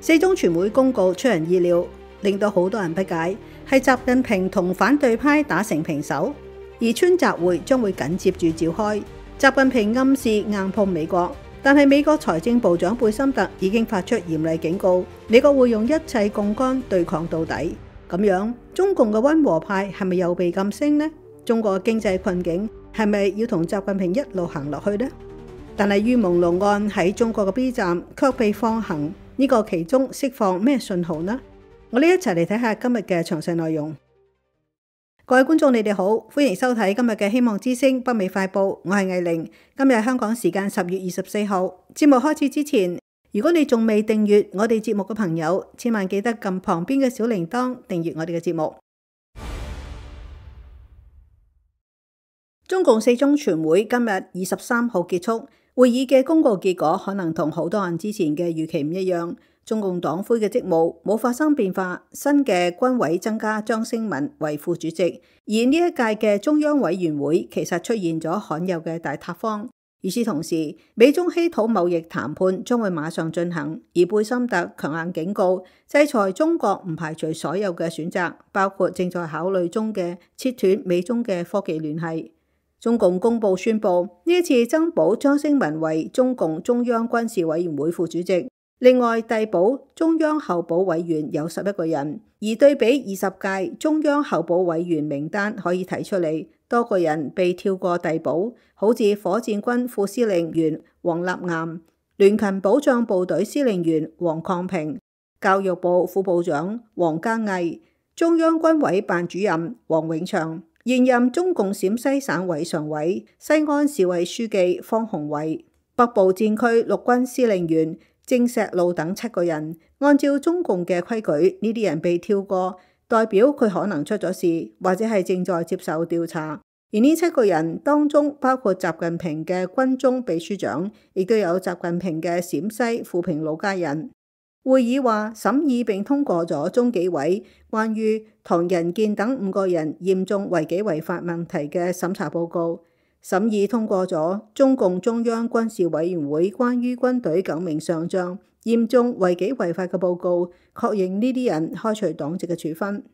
四中全會公告出人意料，令到好多人不解，係習近平同反對派打成平手，而川習會將會緊接住召開。習近平暗示硬碰美國，但係美國財政部長貝森特已經發出嚴厲警告，美國會用一切槓桿對抗到底。咁樣，中共嘅溫和派係咪又被禁聲呢？中國嘅經濟困境係咪要同習近平一路行落去呢？但係於朦朧案喺中國嘅 B 站卻被放行，呢個其中釋放咩信號呢？我哋一齊嚟睇下今日嘅詳細內容。各位觀眾，你哋好，歡迎收睇今日嘅希望之聲北美快報，我係藝玲。今日係香港時間10月24號。節目開始之前，如果你仲未訂閱我哋節目嘅朋友，千萬記得撳旁邊嘅小鈴鐺訂閱我哋嘅節目。中共四中全會今日23號結束，會議嘅公告結果可能同好多人之前嘅預期唔一樣。中共黨魁嘅職務冇發生變化，新嘅軍委增加張星文為副主席，而呢一屆嘅中央委員會其實出現咗罕有嘅大塌方。與此同時，美中稀土貿易談判將會馬上進行，而貝森特強硬警告，制裁中國唔排除所有嘅選擇，包括正在考慮中嘅切斷美中嘅科技聯繫。中共公報宣布，呢一次增補張星文為中共中央軍事委員會副主席。另外，遞補中央候補委員有11個人，而對比20屆中央候補委員名單可以睇出嚟，多個人被跳過遞補，好似火箭軍副司令員王立岩、聯勤保障部隊司令員黃抗平、教育部副部長王嘉毅、中央軍委辦主任王永祥、現任中共陝西省委常委、西安市委書記方鴻偉、北部戰區陸軍司令員鄭石路等7個人，按照中共嘅規矩，呢啲人被跳過，代表佢可能出咗事，或者係正在接受調查。而呢7個人當中，包括習近平嘅軍中秘書長，亦都有習近平嘅陝西富平老家人。會議話審議並通過咗中紀委關於唐人健等5個人嚴重違紀違法問題嘅審查報告。審議通過咗中共中央軍事委員會關於軍隊9名上將嚴重違紀違法嘅報告，確認呢啲人開除黨籍嘅處分。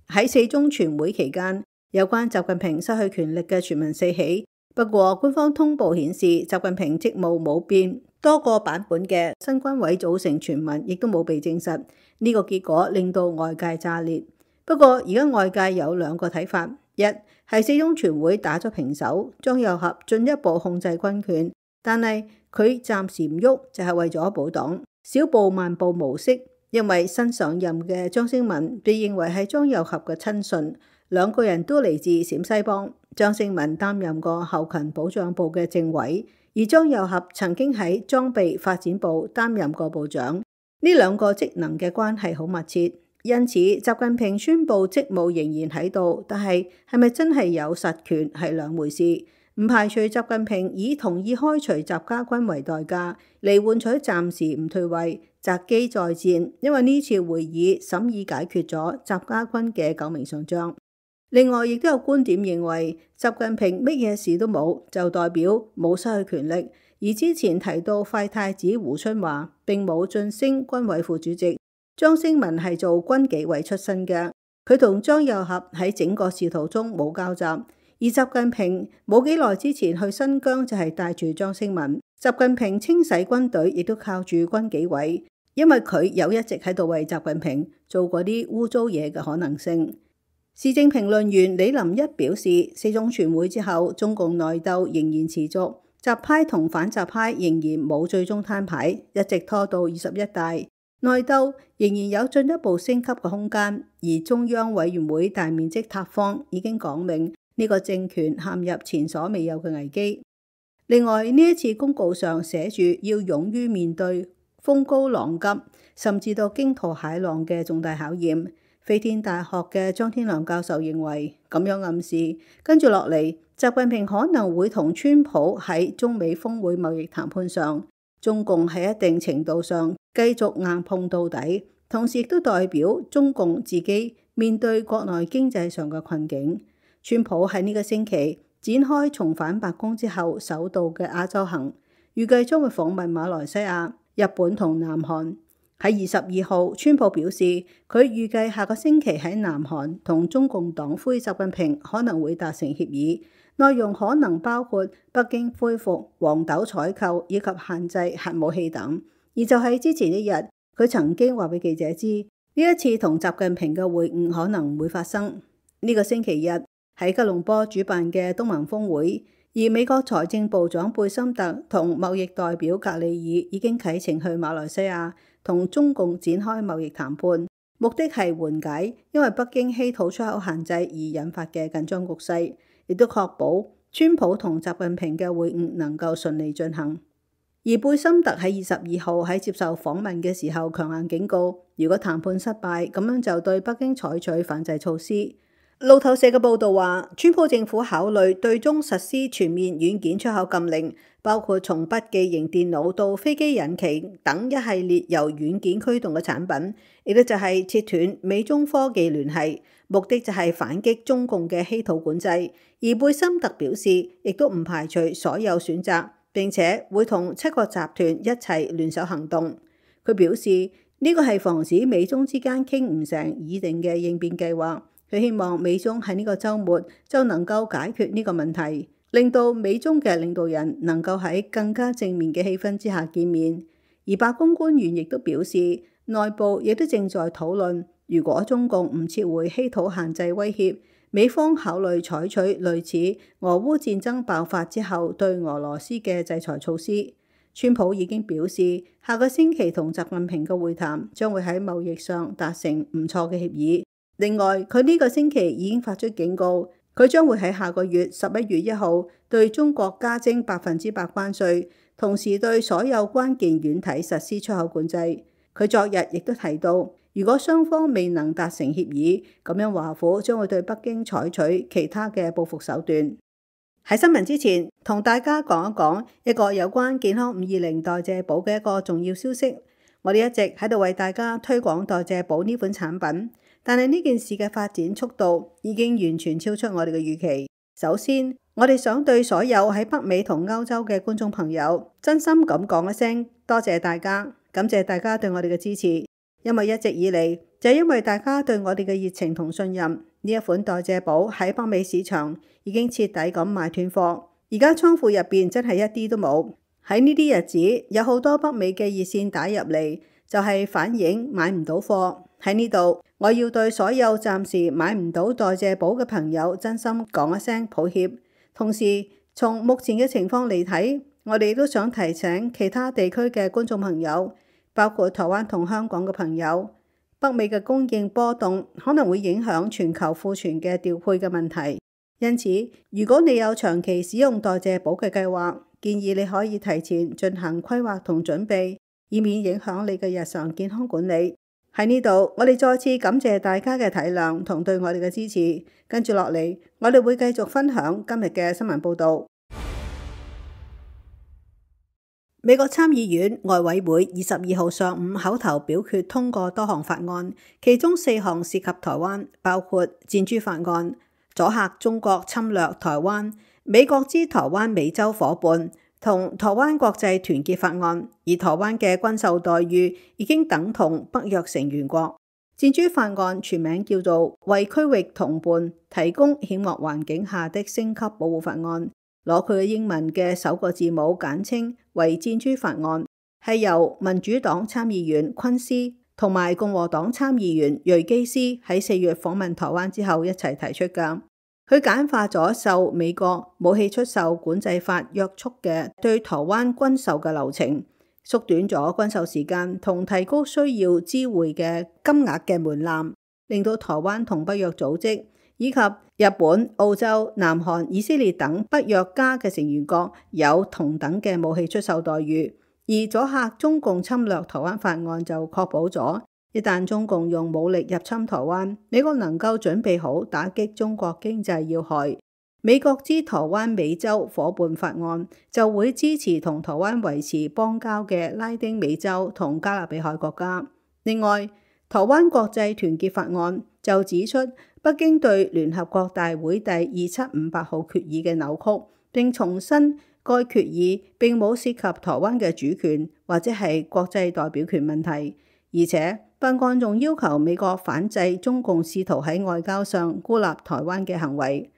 喺四中全會期間，有關習近平失去權力嘅傳聞四起，不過官方通報顯示習近平職務冇變，多個版本嘅新軍委組成傳聞亦都冇被證實。呢個結果令到外界炸裂。不過而家外界有2個睇法，一係四中全會打咗平手，張又俠進一步控制軍權，但係佢暫時唔喐就係為咗保黨，小步慢步模式。因為新上任嘅張星文被認為係張又俠嘅親信，2個人都嚟自陝西幫。張星文擔任過後勤保障部嘅政委，而張又俠曾經喺裝備發展部擔任過部長，呢2個職能嘅關係好密切。因此，習近平宣布職務仍然喺度，但係咪真係有實權係2回事。唔排除習近平以同意開除習家軍為代價嚟換取暫時唔退位，擇機再戰。因為呢次會議審議解決咗習家軍嘅9名上將。另外，亦都有觀點認為，習近平乜嘢事都冇，就代表冇失去權力。而之前提到廢太子胡春華並冇晉升軍委副主席。張星文係做軍紀委出身嘅，佢同張又俠喺整個仕途中冇交集。而習近平冇幾耐之前去新疆就係帶住張星文。習近平清洗軍隊亦都靠住軍紀委，因為佢有一直喺度為習近平做過啲污糟嘢嘅可能性。時政評論員李林一表示，四中全會之後，中共內鬥仍然持續，習派同反習派仍然冇最終攤牌，一直拖到21大。內鬥仍然有進一步升級嘅空間，而中央委員會大面積塌方已經講明呢個政權陷入前所未有嘅危機。另外，呢一次公告上寫住要勇於面對風高浪急，甚至到驚濤駭浪嘅重大考驗。飛天大學嘅張天良教授認為，咁樣暗示跟住落嚟，習近平可能會同川普喺中美峰會貿易談判上，中共喺一定程度上繼續硬碰到底，同時亦都代表中共自己面對國內經濟上嘅困境。川普喺呢個星期展開重返白宮之後首度嘅亞洲行，預計將會訪問馬來西亞、日本同南韓。喺22號，川普表示佢預計下個星期喺南韓同中共黨魁習近平可能會達成協議，內容可能包括北京恢復黃豆採購以及限制核武器等。而就喺之前一日，佢曾經話俾記者知，呢一次同習近平嘅會晤可能唔會發生。呢個星期日喺吉隆坡主辦嘅東盟峰會，而美國財政部長貝森特同貿易代表格里爾已經啟程去馬來西亞同中共展開貿易談判，目的係緩解因為北京稀土出口限制而引發嘅緊張局勢，亦都確保川普同習近平嘅會晤能夠順利進行。而貝森特喺22號喺接受訪問嘅時候強硬警告，如果談判失敗，咁樣就對北京採取反制措施。路透社嘅報導話，川普政府考慮對中實施全面軟件出口禁令，包括從筆記型電腦到飛機引擎等一系列由軟件驅動嘅產品，亦都就係切斷美中科技聯繫，目的就係反擊中共嘅稀土管制。而貝森特表示，亦都唔排除所有選擇，並且會同7個集團一齊聯手行動。佢表示呢個係防止美中之間傾唔成擬定嘅應變計劃。佢希望美中喺呢個週末就能夠解決呢個問題，令到美中嘅領導人能夠喺更加正面嘅氣氛之下見面。而白宮官員亦都表示，內部亦都正在討論，如果中共唔撤回稀土限制威脅，美方考慮採取類似俄烏戰爭爆發之後對俄羅斯嘅制裁措施。川普已經表示，下個星期同習近平嘅會談將會喺貿易上達成唔錯嘅協議。另外，佢呢個星期已經發出警告，佢將會喺下個月11月1號對中國加徵100%關稅，同時對所有關鍵軟體實施出口管制。佢昨日亦都提到，如果雙方未能達成協議，咁樣華府將會對北京採取其他嘅報復手段。喺新聞之前，同大家講一講一個有關健康520代謝寶嘅一個重要消息。我哋一直喺度為大家推廣代謝寶呢款產品。但係呢件事嘅發展速度已經完全超出我哋嘅預期。首先，我哋想對所有喺北美同歐洲嘅觀眾朋友，真心咁講一聲多謝大家，感謝大家對我哋嘅支持。因為一直以嚟，就係因為大家對我哋嘅熱情同信任，呢一款代謝寶喺北美市場已經徹底咁賣斷貨，而家倉庫入邊真係一啲都冇。喺呢啲日子，有好多北美嘅熱線打入嚟，就係反映買唔到貨。喺呢度，我要對所有暫時買唔到代謝寶嘅朋友真心講一聲抱歉。同時，從目前嘅情況嚟睇，我哋都想提醒其他地區嘅觀眾朋友，包括台灣同香港嘅朋友，北美嘅供應波動可能會影響全球庫存嘅調配嘅問題。因此，如果你有長期使用代謝寶嘅計劃，建議你可以提前進行規劃同準備，以免影響你嘅日常健康管理。喺呢度，我哋再次感謝大家嘅體諒同對我哋嘅支持。跟住落嚟，我哋會繼續分享今日嘅新聞報導。美國參議院外委會22號上午口頭表決通過多項法案，其中4項涉及台灣，包括箭豬法案、阻嚇中國侵略台灣、美國之台灣美洲夥伴同台灣國際團結法案，而台灣嘅軍售待遇已經等同北約成員國。箭豬法案全名叫做為區域同伴提供險惡環境下的升級保護法案，攞佢嘅英文嘅首個字母簡稱為箭豬法案，係由民主黨參議員昆斯同埋共和黨參議員瑞基斯喺4月訪問台灣之後一齊提出㗎。佢簡化咗受美國武器出售管制法約束嘅對台灣軍售嘅流程，縮短咗軍售時間同提高需要知會嘅金額嘅門檻，令到台灣同北約組織以及日本、澳洲、南韓、以色列等北約加嘅成員國有同等嘅武器出售待遇。而阻嚇中共侵略台灣法案就確保咗，一旦中共用武力入侵台灣，美國能夠準備好打擊中國經濟要害。美國之台灣美洲夥伴法案就會支持同台灣維持邦交嘅拉丁美洲同加勒比海國家。另外，台灣國際團結法案就指出北京對聯合國大會第2758號決議嘅扭曲，並重申該決議並冇涉及台灣嘅主權或者係國際代表權問題。而且北韓仲要求美國反制中共試圖喺外交上孤立台灣嘅行為。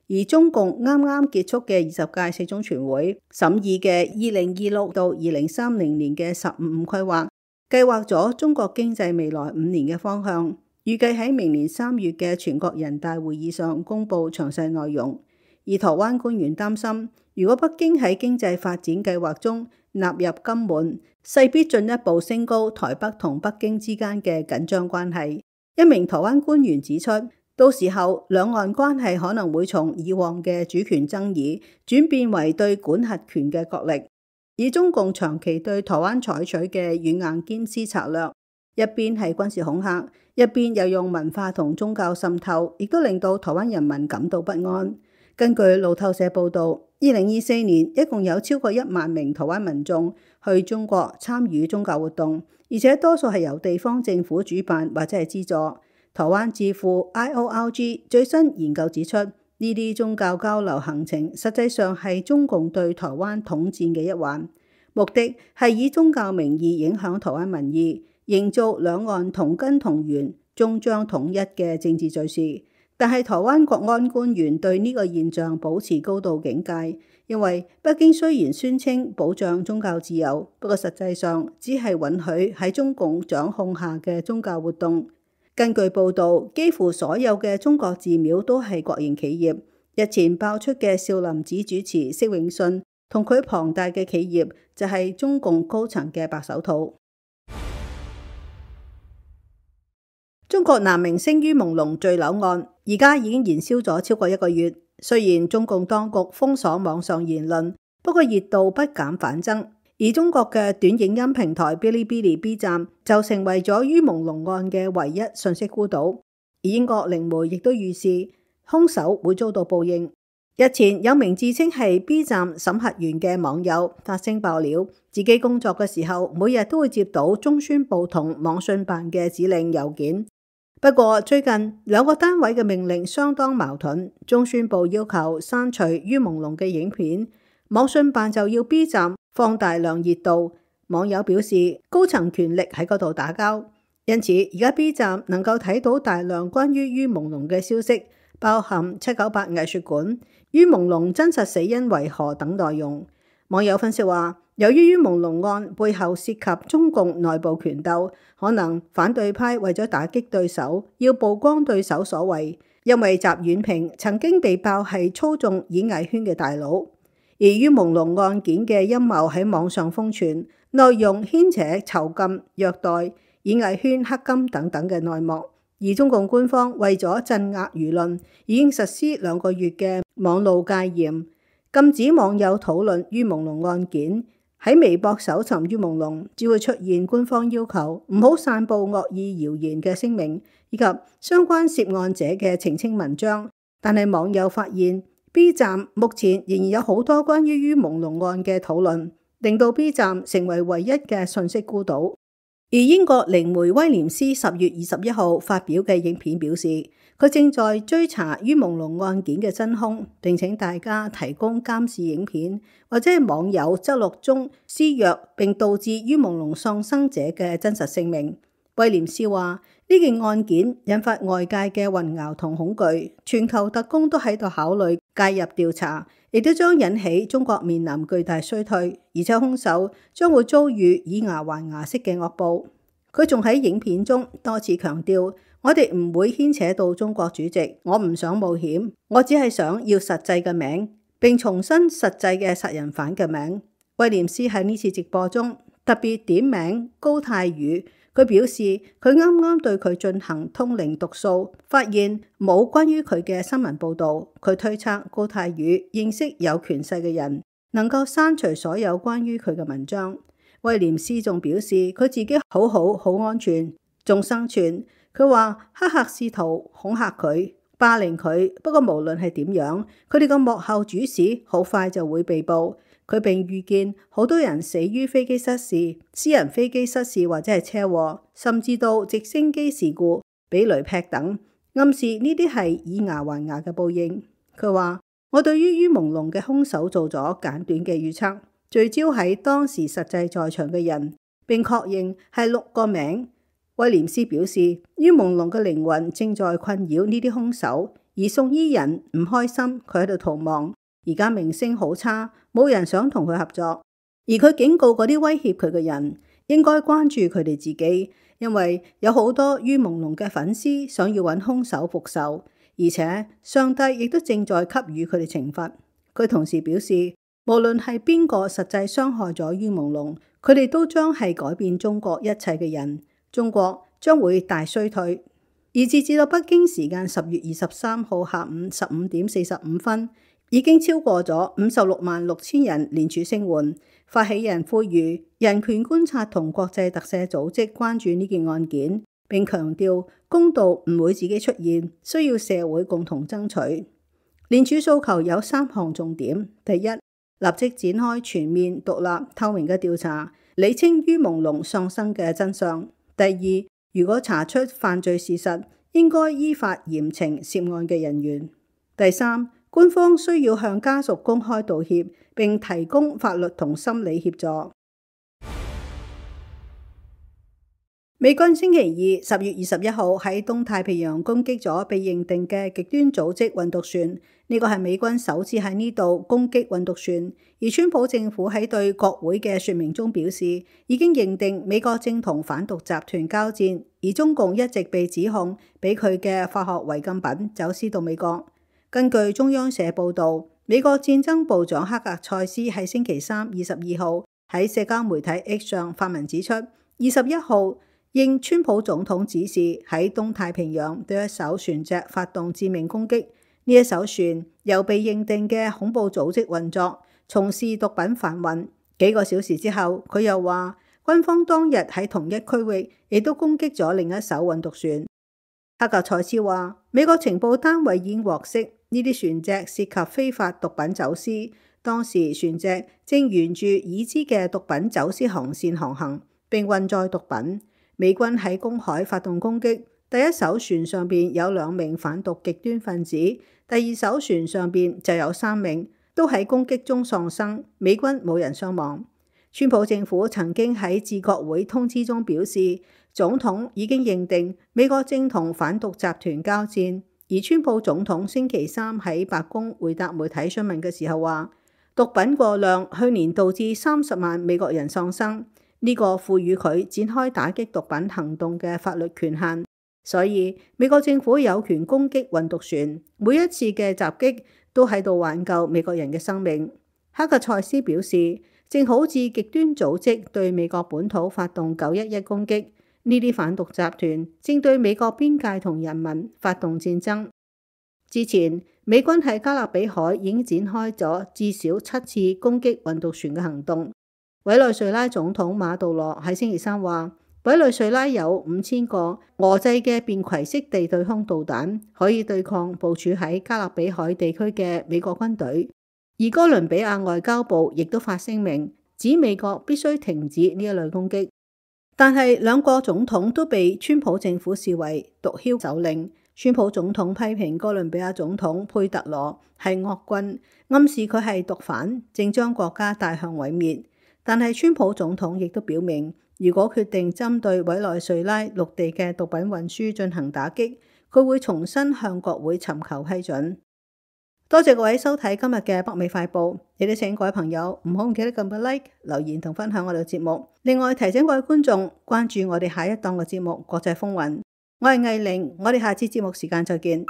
而中共啱啱結束嘅20屆四中全會審議嘅2026到2030年嘅15規劃，計劃咗中國經濟未來5年嘅方向，預計喺明年3月嘅全國人大會議上公布詳細內容。而台灣官員擔心，如果北京喺經濟發展計劃中納入金門，勢必進一步升高台北同北京之間嘅緊張關係。一名台灣官員指出，到時候兩岸關係可能會從以往嘅主權爭議轉變為對管轄權嘅角力。以中共長期對台灣採取嘅軟硬兼施策略，一邊係軍事恐嚇，一邊又用文化同宗教滲透，亦都令到台灣人民感到不安。根據路透社報導，2024年一共有超過1萬名台灣民眾去中國參與宗教活動，而且多數係由地方政府主辦或者係資助。台灣智庫 IORG 最新研究指出，呢啲宗教交流行程實際上係中共對台灣統戰嘅一環，目的係以宗教名義影響台灣民意，營造兩岸同根同源、終將統一嘅政治敘事。但係台灣國安官員對呢個現象保持高度警戒，因為北京雖然宣稱保障宗教自由，不過實際上只係允許喺中共掌控下嘅宗教活動。根據報導，幾乎所有嘅中國寺廟都係國營企業。日前爆出嘅少林寺主持釋永信同佢龐大嘅企業就係中共高層嘅白手套。中國男明星于朦朧墜樓案而家已經燃燒咗超過1個月。雖然中共當局封鎖網上言論，不過熱度不減反增。而中國嘅短影音平台嗶哩嗶哩 B 站就成為咗于朦朧案嘅唯一信息孤島。而英國靈媒亦都預示兇手會遭到報應。日前有名自稱係 B 站審核員嘅網友發聲爆料，自己工作嘅時候每日都會接到中宣部同網信辦嘅指令郵件。不過最近兩個單位嘅命令相當矛盾，中宣部要求刪除于朦朧嘅影片，網信辦就要 B 站放大量熱度。網友表示高層權力喺嗰度打交，因此而家 B 站能夠睇到大量關於于朦朧嘅消息，包含798藝術館、于朦朧真實死因為何等內容。網友分析話，由於于朦朧案背後涉及中共內部權鬥，可能反對派為咗打擊對手，要曝光對手所為，因為習遠平曾經被爆係操縱演藝圈嘅大佬。而于朦朧案件嘅陰謀喺網上瘋傳，內容牽扯囚禁、虐待、演藝圈黑金等等嘅內幕。而中共官方為咗鎮壓輿論，已經實施2個月嘅網路戒嚴，禁止網友討論于朦朧案件。喺微博搜尋于朦朧，只會出現官方要求唔好散佈惡意謠言嘅聲明，以及相關涉案者嘅澄清文章。但係網友發現，B 站目前仍然有好多關於于朦朧案嘅討論，令到 B 站成為唯一嘅信息孤島。而英國靈媒威廉斯10月21號發表嘅影片表示，佢正在追查于朦朧案件嘅真兇，並請大家提供監視影片或者係網友記錄中施虐並導致于朦朧喪生者嘅真實姓名。威廉斯話，呢件案件引發外界嘅混淆同恐懼，全球特工都喺度考慮介入調查，亦都將引起中國面臨巨大衰退，而且兇手將會遭遇以牙還牙式嘅惡報。佢仲喺影片中多次強調，我哋唔會牽扯到中國主席，我唔想冒險，我只係想要實際嘅名，並重申實際嘅殺人犯嘅名。威廉斯喺呢次直播中特別點名高泰宇。佢表示，佢啱啱對佢進行通靈讀數，發現冇關於佢嘅新聞報導。佢推測高泰宇認識有權勢嘅人，能夠刪除所有關於佢嘅文章。威廉斯仲表示，佢自己好安全，仲生存。佢話黑客試圖恐嚇佢、霸凌佢，不過無論係點樣，佢哋個幕後主使好快就會被捕。佢並預見好多人死於飛機失事、私人飛機失事或者係車禍，甚至到直升機事故、俾雷劈等，暗示呢啲係以牙還牙嘅報應。佢話：我對於于朦朧嘅兇手做咗簡短嘅預測，聚焦喺當時實際在場嘅人，並確認係6個名。威廉斯表示，於朦朧嘅靈魂正在困擾呢啲兇手，而送醫人唔開心，佢喺度逃亡。而家名聲好差，冇人想同佢合作。而佢警告嗰啲威脅佢嘅人，應該關注佢哋自己，因為有好多於朦朧嘅粉絲想要揾兇手復仇，而且上帝亦都正在給予佢哋懲罰。佢同時表示，無論係邊個實際傷害咗於朦朧，佢哋都將係改變中國一切嘅人，中國將會大衰退。而截至到北京時間10月23號下午15點45分，已經超過咗566000人聯署聲援。發起人呼籲人權觀察同國際特赦組織關注呢件案件，並強調公道唔會自己出現，需要社會共同爭取。聯署訴求有3項重點：第一，立即展開全面、獨立、透明嘅調查，釐清於朦朧喪生嘅真相；第二，如果查出犯罪事實，應該依法嚴懲涉案嘅人員；第三，官方需要向家屬公開道歉，並提供法律同心理協助。美軍星期二10月21號喺東太平洋攻擊咗被認定嘅極端組織運毒船，呢個係美軍首次喺呢度攻擊運毒船。而川普政府喺對國會嘅說明中表示，已經認定美國正同反毒集團交戰，而中共一直被指控俾佢嘅化學違禁品走私到美國。根據中央社報導，美國戰爭部長克格塞斯喺星期三22號喺社交媒體 X 上發文指出，21號應川普總統指示喺東太平洋對一艘船隻發動致命攻擊。呢一艘船由被認定嘅恐怖組織運作，從事毒品販運。幾個小時之後，佢又話軍方當日喺同一區域亦都攻擊咗另一艘運毒船。克格塞斯話，美國情報單位已經獲悉呢啲船隻涉及非法毒品走私，當時船隻正沿住已知嘅毒品走私航線航行，並運載毒品。美軍喺公海發動攻擊，第一艘船上邊有2名反毒極端分子，第二艘船上邊就有3名，都喺攻擊中喪生。美軍冇人傷亡。川普政府曾經喺致國會通知中表示，總統已經認定美國正同反毒集團交戰。而川普總統星期三喺白宮回答媒體詢問嘅時候話，毒品過量去年導致30萬美國人喪生。呢個賦予佢展開打擊毒品行動嘅法律權限，所以美國政府有權攻擊運毒船。每一次嘅襲擊都喺度挽救美國人嘅生命。克格塞斯表示，正好似極端組織對美國本土發動911攻擊，呢啲反毒集團正對美國邊界同人民發動戰爭。之前美軍喺加勒比海已經展開咗至少7次攻擊運毒船嘅行動。委內瑞拉總統馬杜羅喺星期三話，委內瑞拉有5000個俄製嘅便攜式地對空導彈，可以對抗部署喺加勒比海地區嘅美國軍隊。而哥倫比亞外交部亦都發聲明，指美國必須停止呢一類攻擊。但係兩個總統都被川普政府視為毒梟首領。川普總統批評哥倫比亞總統佩特羅係惡棍，暗示佢係毒販，正將國家帶向毀滅。但係川普總統亦都表明，如果決定針對委內瑞拉陸地嘅毒品運輸進行打擊，佢會重新向國會尋求批准。多謝各位收睇今日嘅北美快報，亦都請各位朋友唔好唔記得撳個 like、留言同分享我哋嘅節目。另外提醒各位觀眾關注我哋下一檔嘅節目《國際風雲》。我係藝玲，我哋下次節目時間再見。